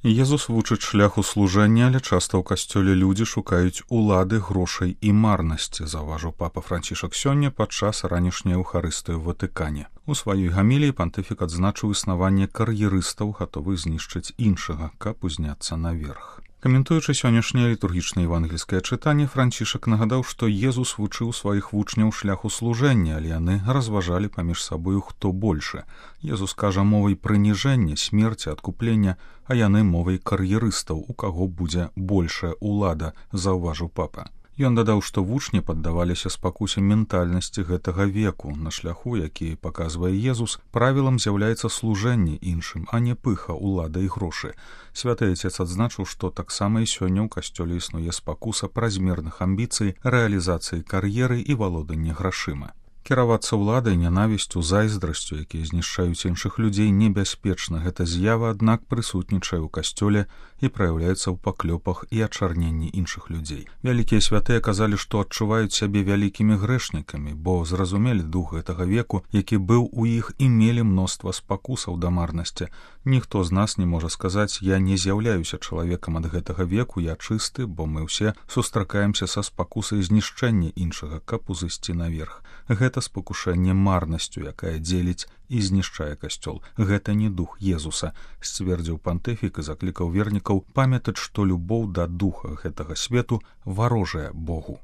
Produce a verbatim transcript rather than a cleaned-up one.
Езус вучыць шляху служэння, але часта ў касцёле людзі шукаюць улады, грошай і марнасці, заўважыў папа Францішак сёння падчас ранішняй эўхарыстыі ў Ватыкане. У сваёй гаміліі пантыфік адзначыў існаванне кар'ерыстаў, гатовых знішчыць іншага, каб узняцца наверх. Каментуючы сённяшняе літургічнае евангельскае чытанне, Францішак нагадаў, што Езус вучыў сваіх вучняў шляху служэння, але яны разважалі паміж сабою, хто большы. Езус кажа мовай прыніжэння, смерці, адкуплення, а яны мовай кар'ерыстаў, у каго будзе большая ўлада, заўважыў папа. Ён дадаў, што вучні паддаваліся спакусе ментальнасці гэтага веку. На шляху, які паказвае Езус, правілам з'яўляецца служэнне іншым, а не пыха, улада і грошы. Святы Отец адзначыў, што таксама і сёння ў касцёле існуе спакуса празмерных амбіцый, рэалізацыі кар'еры і валодання грашыма. Кіравацца ўладай, нянавісцю, зайздрасцю, якія знішчаюць іншых людзей, небяспечна. Гэта з'ява, аднак, прысутнічае ў касцёле і праяўляецца ў паклёпах і ачарненні іншых людзей. Вялікія святыя казалі, што адчуваюць сябе вялікімі грэшнікамі, бо зразумелі дух гэтага веку, які быў у іх, і мелі мноства спакусаў да марнасці. Ніхто з нас не можа сказаць: «Я не з'яўляюся чалавекам ад гэтага веку, я чысты», бо мы ўсе сустракаемся са спакусай знішчэння іншага, каб узысці наверх. Гэта спакушэнне марнасцю, якая дзеліць і знішчае касцёл. Гэта не дух Езуса, сцвердзіў пантыфік і заклікаў вернікаў памятаць, што любоў да духа гэтага свету варожая Богу.